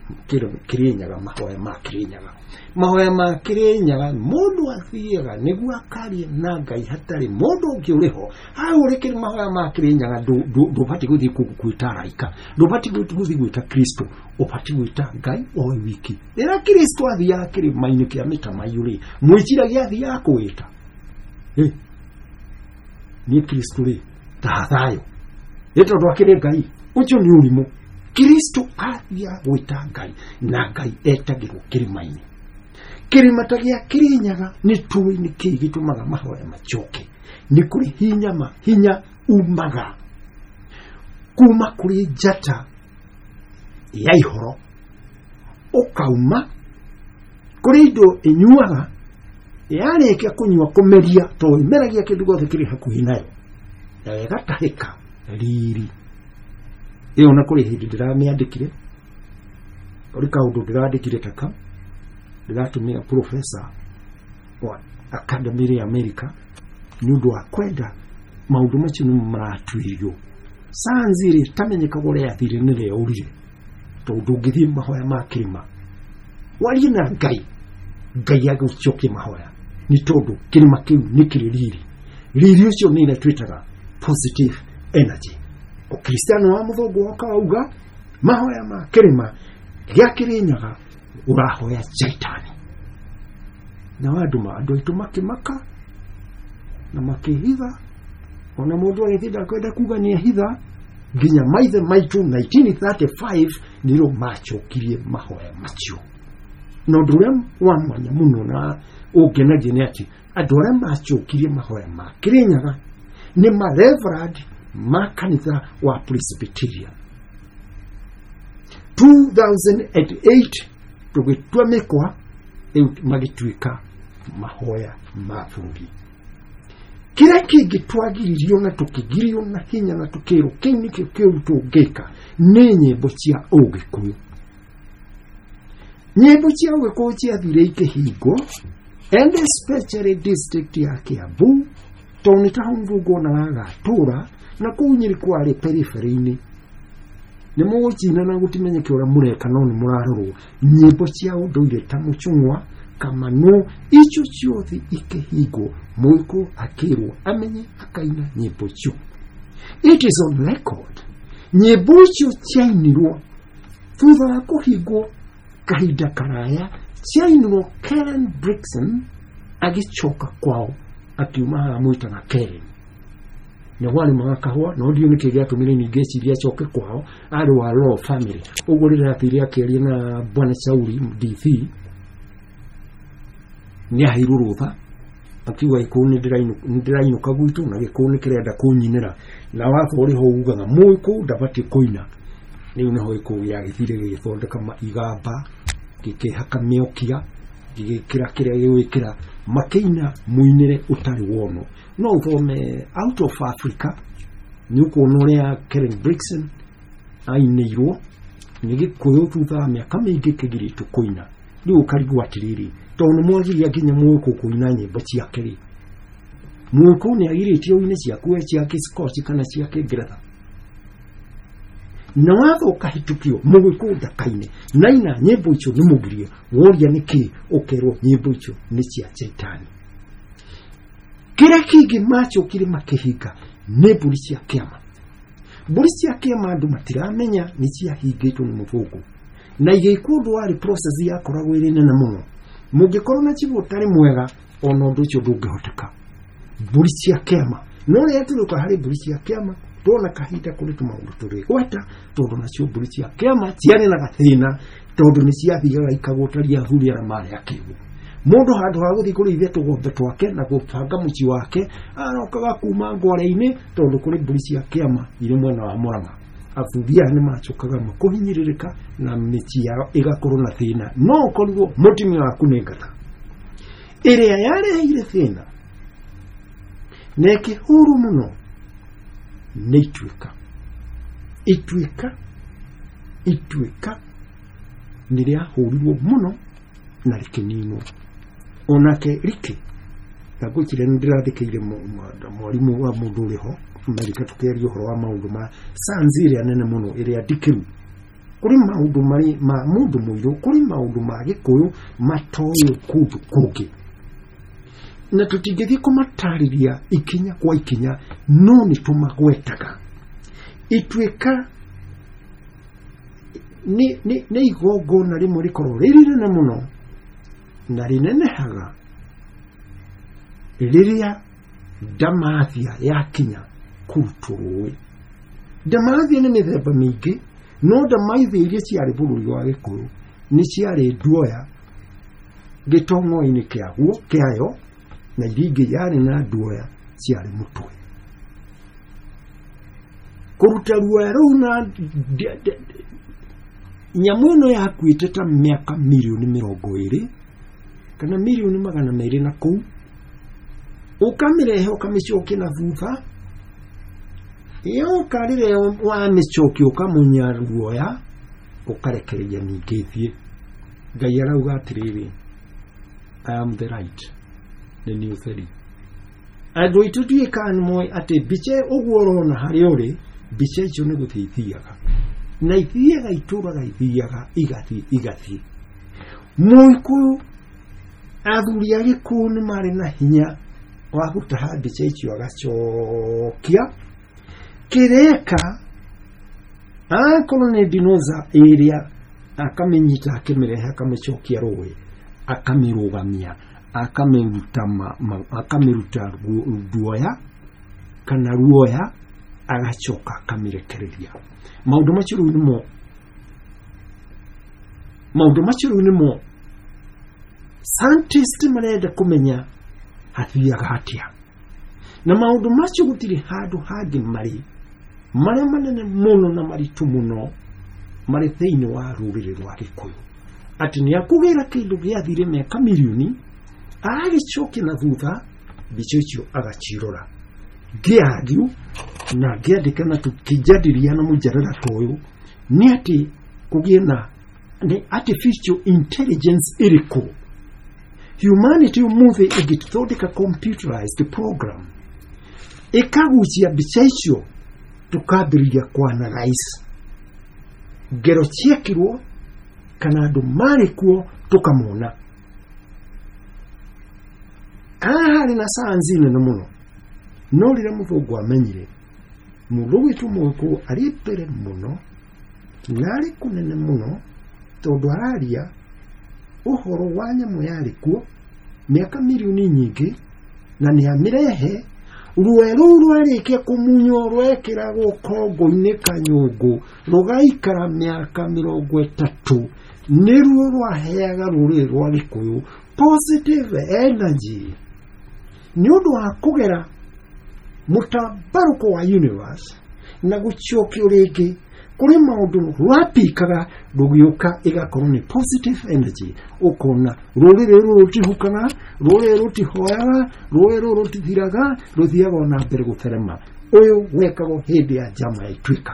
B: Kĩrĩnyaga mahoya ma Kĩrĩnyaga. Mahoya ma Kĩrĩnyaga mũndũ athiaga nĩguo akarie na Ngai hatarĩ mũndũ ũngĩ ũrĩ ho. Hau ũrĩ kĩrĩ mahoya ma Kĩrĩnyaga ndũbatiĩ gũthiĩ gwĩta araika, ndũbatiĩ gũthiĩ gwĩta Kristo, ũbatiĩ gwĩta Ngai o wiki. Rĩrĩa Kristo athiaga kĩrĩma-inĩ kĩa mĩtamaiyũ rĩ, mwĩciragia athiaga kwĩta niĩ Kristo rĩ ta thayũ ĩ tondũ akĩrĩ Ngai, ũcio nĩ ũrimũ. Kristo athiaga gwĩta Ngai na Ngai etagĩrwo kĩrĩma-inĩ. Kĩrĩma ta gĩa Kĩrĩnyaga nĩ tũĩ nĩ kĩĩ gĩtũmaga mahoya macoke. Nĩ kũrĩ hinya ma hinya umaga kuma kũrĩ njata ya ihoro ũkauma kũrĩ indo ĩnyuaga yarĩkia kũnyua kũmeria tondũ ĩmeragia kĩndũ gĩothe kĩrĩ hakuhĩ nayo na ĩgatahĩka riri. Ĩyo na kũrĩ hĩndĩ ndĩramĩandĩkire, kũrĩ kaũndũ ndĩrandĩkire taka ndĩratũmĩra professor wa academy ya America nĩ ũndũ wa kwenda maũndũ macio nĩmo maratuĩrio. Sayansi rĩ tamenyekaga ũrĩa yathire nĩ rĩaũrire, tondũ ndũngĩthiĩ mahoya ma kĩrĩma warie na Ngai, Ngai agũcokie mahoya nĩ tondũ kĩrĩma kĩu nĩ kĩrĩ riri. Riri ũcio nĩ ĩrĩa twĩtaga positive energy. Ũkristiano wa mũthũngũ woka wauga mahoya ma kĩrĩma gĩa Kĩrĩnyaga ũrahoya Shaitani. Na andũ andũ aitũ makĩmaka na makĩhitha, ona mũndũ agĩthiĩ ndakwenda kuga nĩ ehitha, nginya maithe maitũ 1935 nĩrĩo macokirie mahoya macio. Na ũndũ ũrĩa wa mwanya mũno na ũngenagia nĩ atĩ andũ arĩa macokirie mahoya ma Kĩrĩnyaga nĩ ma reverend ma kanitha wa Presbyterian. 2008 tũgĩtua mĩkwa rĩu magĩtuĩka mahoya ma bũrũri. Kĩrĩa kĩngĩ twagiririo na tũkĩgirio na hinya na tũkĩrwo kĩu nĩkĩo kĩũru tũngĩka nĩ nyĩmbo cia ũgĩkũyũ. Nyĩmbo cia ũgĩkũyũ ciathire ikĩhingwo and especially district ya Kiambu tondũ nĩ ta hau mũthũngũ onaga agatũra na kũu Nyĩrĩ kwarĩ periphery-inĩ. Nĩ mũgũcina na gũtimenyeke ũrĩa mũreka no nĩ mũrarorwo. Nyĩmbo cia ũndũire ta mũcung'wa, kamano, icio ciothe ikĩhingwo, mũgĩkũyũ akĩrwo amenye akaina nyĩmbo icio. It is on record. Nyĩmbo icio ciainirwo thutha wa kũhingwo kahinda karaya, ciainirwo Karen Blixen agĩcoka kwao akiuma haha mwĩtaga Karen. Na warĩmaga kahũa no ndiũ nĩkĩ gĩatũmire ningĩ eciria acoke kwao, arĩ wa law family. Ũguo rĩrĩa athire akĩaria na Bwana Shauri DC nĩ aheirwo rũtha akiuga gĩkũyũ nĩ ndĩrainũka gwitũ na gĩkũyũ nĩ kĩrenda kũnyinĩra, na watho ũrĩ ho ugaga mũgĩkũyũ ndabatiĩ kũina. Rĩu nĩho gĩkũyũ gĩagĩthire gĩgĩthondeka igamba, gĩkĩhaka mĩokia, Gĩgĩkĩra kĩrĩa gĩgwĩkĩra, makĩina mũinĩre ũtarĩ wono. No ũthome Out of Africa, nĩ ũkuona ũrĩa Karen Blixen ainĩirwo nĩ Gĩkũyũ thutha wa mĩaka mĩingĩ kĩgirĩtwo kũina. Rĩu ũkarigwo atĩrĩrĩ, tondũ nĩ mwagiria nginya Mũgĩkũyũ kũina nyĩmbo ciake rĩ, Mũgĩkũyũ nĩ agirĩtio ũine ciaku we cia Gĩskoci kana cia Kĩngeretha, na watho ũkahĩtũkio Mũgĩkũyũ ndakaine naina nyĩmbo icio nĩ mũgirie. Woria nĩkĩ, ũkerwo nyĩmbo icio nĩ cia Shaitani. Kĩrĩa kĩngĩ macokire makĩhinga nĩ mbũri cia kĩama. Mbũri cia kĩama andũ matiramenya nĩ ciahingĩtwo nĩ mũthũngũ na igĩkwo ũndũ warĩ process yakoragwo ĩrĩ nene mũno. Mũngĩkorwo na chibũ ũtarĩ mwega, ona ũndũ ũcio ndũngĩhoteka. Mbũri cia kĩama, no rĩrĩa tũrĩũka harĩ mbũri cia kĩama, tuona kahinda kũrĩ tũmaũndũ tũrĩgweta, tondũ nacio mbũri cia kĩama ciarĩ na gathĩna, tondũ nĩ ciathiaga ikagũtaria athuri arĩa marĩ akĩgu. Mũndũ handũ ha gũthiĩ kũrĩithia tũgombe twake na gũbanga mũciĩ wake, arokaga kuma ngware-inĩ, tondũ kũrĩ mbũri cia kĩama irĩ mwena wa Mũrang'a. Athuri aya nĩ macokaga makũhinyĩrĩrĩka na mĩciĩ yao ĩgakorwo na thĩna. No ũkorirwo mũtumia waku nĩ ngata ĩrĩa yareheire thĩna na ĩkĩhũrwo mũno nĩ ituĩka. Ituĩka nĩ rĩahũrirwo mũno na rĩkĩninwo. Onake rikĩ na ngwĩciria nĩ ndĩrathikĩire mwarimũ wa mũndũ ũrĩ ho Amerika tũkĩaria ũhoro wa maũndũ ma science ĩrĩa nene mũno ĩrĩa ndikĩru. Kũrĩ maũndũ marĩ ma mũndũ mũirũ, kũrĩ maũndũ ma Gĩkũyũ matoĩ kũndũ kũngĩ, na tũtingĩthiĩ kũmatarĩria ikinya kwa ikinya, no nĩ tũmagwetaga. Ituĩka nĩ igongona rĩmwe rĩkorwo rĩrĩ rĩnene mũno na rĩnenehaga rĩrĩa ndamathia yakinya kũrutwo rũĩ. Ndamathia nĩ mĩthemba mĩingĩ, no ndamathia iria ciarĩ bũrũri wa Gĩkũyũ nĩ ciarĩ nduoya gĩtong'o-inĩ kĩaguo kĩayo, na iria ingĩ yarĩ na nduoya ciarĩ mũtwe. Kũruta ruoya rũu na nyamũ ĩno yakuĩte ta mĩaka mirioni 20 kana mirioni 200 na kũu, ũkamĩrehe ũkamĩcokia na thutha, yoka rĩrĩa wamĩcokia ũkamunya ruoya ũkarekereria ningĩ ĩthiĩ. Ngai arauga atĩrĩrĩ, I am the light, nĩ niĩ ũtheri. Andũ aitũ ndiũĩ kana nĩ moĩ atĩ mbica ũguo ũrona harĩa ũrĩ, mbica icio nĩ gũthiĩ ithiaga na ithiaga itũraga, ithiaga igathiĩ igathiĩ. Mũgĩkũyũ, athuri a Gĩkũyũ nĩ marĩ na hinya wa gũtaha mbica icio agacokia kĩreka akorwo nĩ dinoza ĩrĩa, akamĩnyita akĩmĩrehe akamĩcokia rũĩ, akamĩrũgamia, akamĩruta akamĩruta ruoya kana ruoya, agacoka akamĩrekereria. Maũndũ macio rĩu nĩmo, maũndũ macio rĩu nĩmo scientist marenda kũmenya hathiaga atĩa, na maũndũ macio gũtirĩ handũ hangĩ marĩ marĩa manene mũno na maritũ mũno marĩ thĩinĩ wa rũrĩrĩ rwa Gĩkũyũ, atĩ nĩ akũgĩra kĩndũ gĩathire mĩaka mirioni agagĩcokia na thutha, mbica icio agacirora. Ngĩargue na ngĩandĩka na tũkĩjadiliana mũjadala ta ũyũ nĩ atĩ kũgĩe na nĩ artificial intelligence ĩrĩkũ humanity ũmũthĩ ĩngĩthondeka computerized program ĩkagucia mbica icio, tũkambĩrĩria kũanalyze ngero ciekirwo kana andũ marĩ kuo tũkamona. Haha harĩ na science nene mũno, no rĩrĩa mũthũngũ amenyire mũndũ ũgwĩtwo Mũgĩkũyũ arĩ mbere mũno na arĩ kũnene mũno, tondũ araria ũhoro wa nyamũ yarĩ kuo mĩaka mirioni nyingĩ na nĩ amĩrehe. Ruoya rũu rwarĩkia kũmunywo rwekĩragwo kongo-inĩ kanyũngũ rũgaikara mĩaka 30, nĩruo rwaheaga rũrĩrĩ rwa Gĩkũyũ positive energy nĩ ũndũ wa kũgera mũtambarũko wa universe na gũcokio rĩngĩ. Kũrĩ maũndũ rwapikaga rũgĩũka ĩgakorwo nĩ positive energy, ũkona rũrĩrĩ rũrũ rũtihukaga, rũrĩrĩ rũtihoyaga, rũrĩrĩ rũrũ rũtithiraga, rũthiaga ona mbere gũtherema. Ũyũ wekagwo hĩndĩ ya njama ya Ituĩka.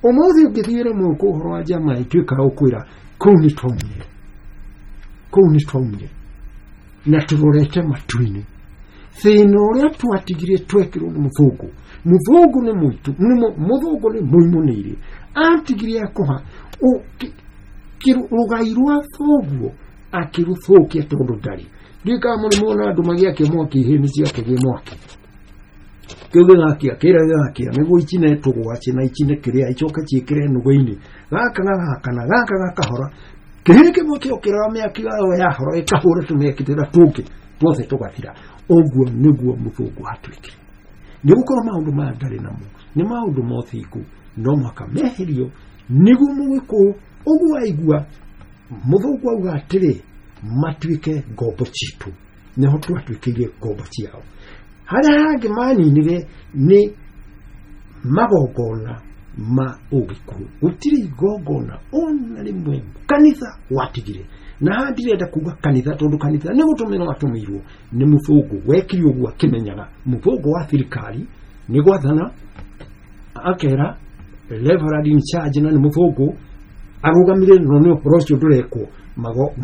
B: Ũmũthĩ ũngĩthiĩre mũkũ ũhoro wa njama ya Ituĩka ũkwĩra kũu nĩ twaumire, kũu nĩ twaumire na tũrorete matu-inĩ. Thĩna ũrĩa twatigire twekĩrwo nĩ mũthũngũ, mũthũngũ nĩ mũitũ, mũthũngũ nĩ mũimunĩire, atigire akũha rũgai rwa thoguo akĩrũthũkia tondũ ndarĩ. Ndiũĩ kana mũrĩ muona andũ magĩakia mwaki ihĩĩ ciakagia mwaki, kĩu gĩgakia kĩrĩa gĩgakia nĩguo icine tũgwacĩ na icine kĩrĩa icoke ciĩkĩre nũgũ-inĩ, gaka gagakana gaka gakahora, kĩhĩĩ kĩmwe kĩokĩraga mĩaki yayo yahora ĩkahũra tũmĩaki tũrĩa tũngĩ tuothe tũgathira. Ũguo nĩguo mũthũngũ atuĩkire. Nĩ gũkorwo maũndũ maya ndarĩ namo nĩ maũndũ ma ũthingu, no mũhaka meherio nĩguo mũgĩkũyũ ũguo aigua mũthũngũ auga atĩrĩ matuĩke ngombo citũ, nĩho twatuĩkĩire ngombo ciao. Harĩa hangĩ maninire nĩ magongona ma ũgĩkũyũ. Gũtirĩ igongona ona rĩmwe kanitha watigire. Na haha ndirenda kuga kanitha tondũ kanitha nĩ gũtũmĩrwo watũmĩirwo nĩ mũthũngũ wekire ũguo akĩmenyaga. Mũthũngũ wa thirikari nĩ gwathana akera reverend in charge na nĩ mũthũngũ arũgamire no nĩ ũhoro ũcio ndũrekwo.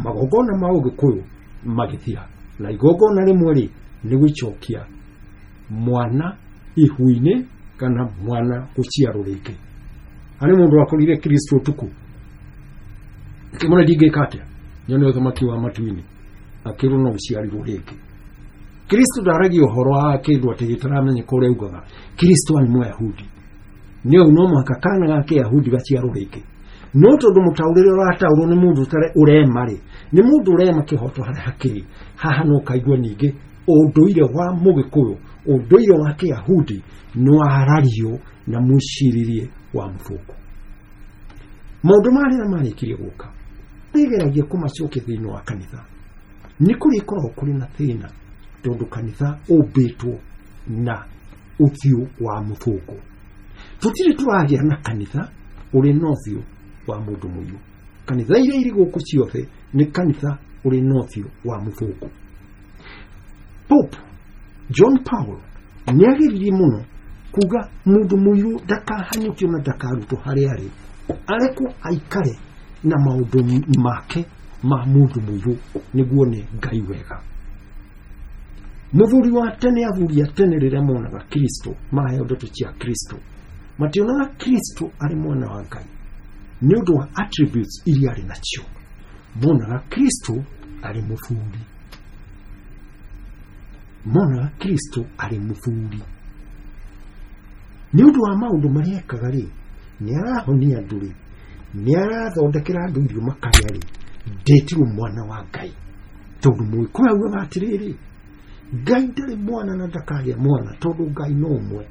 B: Magongona ma ũgĩkũyũ magĩthira, na igongona rĩmwe rĩ nĩ gũcokia mwana ihu-inĩ kana mwana gũciarwo rĩngĩ. Harĩ mũndũ wakorire Kristo ũtukũ akĩmwĩra ndingĩka atĩa nyone ũthamaki wa matu-inĩ, akĩrwo no ũciarirwo rĩngĩ. Kristo ndaragia ũhoro wa kĩndũ atĩ gĩtaramenyeka ũrĩa augaga. Kristo arĩ Mũyahudi, nĩ ũũ no mũhaka kana ga Kĩyahudi gaciarwo rĩngĩ. No tondũ mũtaũrĩre ũrataũrwo nĩ mũndũ ũrema rĩ, nĩ mũndũ ũrema kĩhoto harĩa hakĩrĩ. Haha no kaigua ningĩ ũndũire wa mũgĩkũyũ, ũndũire wa Kĩyahudi nĩ warario na mwĩcirĩrie wa mũthũngũ. Maũndũ marĩa marĩkirie gũka nĩgeragia kũmacokia thĩinĩ wa kanitha. Nĩ kũrĩkoragwo kũrĩ na thĩna tondũ kanitha ũmbĩtwo na ũthiũ wa mũthũngũ. Tũtirĩ tũragĩa na kanitha ũrĩ na ũthiũ wa mũndũ mũirũ. Kanitha iria irĩ gũkũ ciothe nĩ kanitha ũrĩ na ũthiũ wa mũthũngũ. Pope John Paul nĩ ageririe mũno kuga mũndũ mũirũ ndakahanyũkio na ndakarutwo harĩa arĩ, arekwo aikare na maũndũ make ma mũndũ mũirũ nĩguo nĩ Ngai wega. Mũthuri wa tene, athuri a tene rĩrĩa monaga Kristo, maheo ndeto cia Kristo, mationaga Kristo arĩ mwana wa Ngai nĩ ũndũ wa attributes iria arĩ nacio. Monaga Kristo arĩ mũthuri, monaga Kristo arĩ mũthuri nĩ ũndũ wa maũndũ marĩa ekaga rĩ, nĩ arahonia andũ rĩ, nĩ arathondekera andũ irio makarĩa rĩ, ndĩtirwo mwana wa Ngai. Tondũ mũgĩkũyũ augaga atĩrĩrĩ, Ngai ndarĩ mwana na ndakagĩa mwana tondũ Ngai no ũmwe.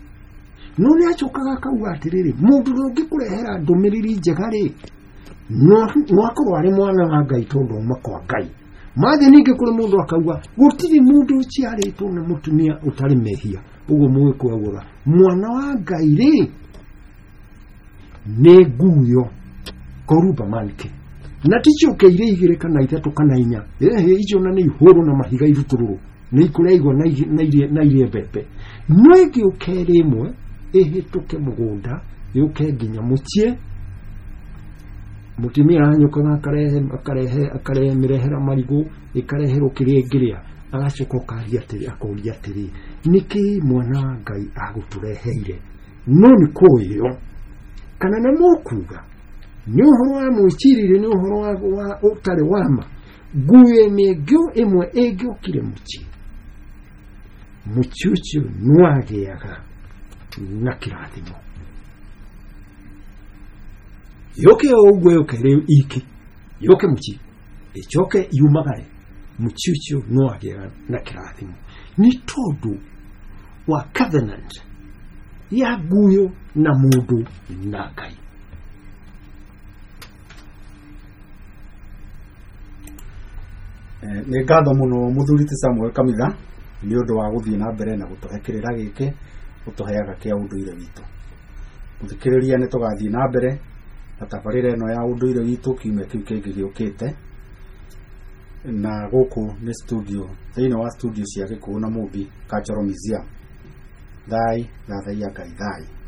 B: No nĩ acokaga akauga atĩrĩrĩ, mũndũ ũrĩa ũngĩkũrehera ndũmĩrĩri njega rĩ, no akorwo arĩ mwana wa Ngai tondũ auma kwa Ngai. Mathiĩ ningĩ kũrĩ mũndũ akauga gũtirĩ mũndũ ũciarĩtwo nĩ mũtumia ũtarĩ mehia. Ũguo mũgĩkũyũ augaga mwana wa Ngai rĩ nĩ nguyo koruba manke, na ti ciũke irĩ igĩrĩ kana ithatũ kana inya, ĩhĩ icio na nĩ ihũrwo na mahiga irutũrũrũ, nĩ ikũrĩa igwa na irie mbembe. No ĩngĩũka ĩrĩ ĩmwe ĩhĩtũke mũgũnda yũke nginya mũciĩ, mũtumia aranyũkaga akarehe mĩrehera marigũ, ĩkareherwo kĩrĩa ĩngĩrĩa, agacoka ũkaria atĩrĩ, akoria atĩrĩ, nĩkĩ mwana wa Ngai agũtũreheire? No nĩ kũĩo kana nĩ mũkuga nĩ ũhoro wa mwĩcirĩrie, nĩ ũhoro wa ũtarĩ wa ma. Nguo ĩmwe ĩngĩokire mũciĩ, mũciĩ ũcio nĩwagĩaga na kĩrathimo. Yũke o ũguo yũke rĩ iki, yũke mũciĩ, ĩcoke yumagare, mũciĩ ũcio nĩwagĩaga na kĩrathimo. Nĩ tondũ wa covenant ya nguyo na mũndũ na Ngai.
A: Nĩ ngatho mũno mũthuri ti Samuel Kamitha nĩ ũndũ wa gũthiĩ na mbere na gũtũhe kĩrĩra gĩkĩ ũtũheaga kĩa ũndũire witũ. Mũthikĩrĩria, nĩ tũgathiĩ na mbere na tabarĩra ĩno ya ũndũire witũ kiumia kĩu kĩngĩ gĩũkĩte. Na gũkũ nĩ studio, thĩinĩ wa studio cia Gĩkũyũ na Mũmbi Cultural Museum. Thai, thathaiya Ngai, thai.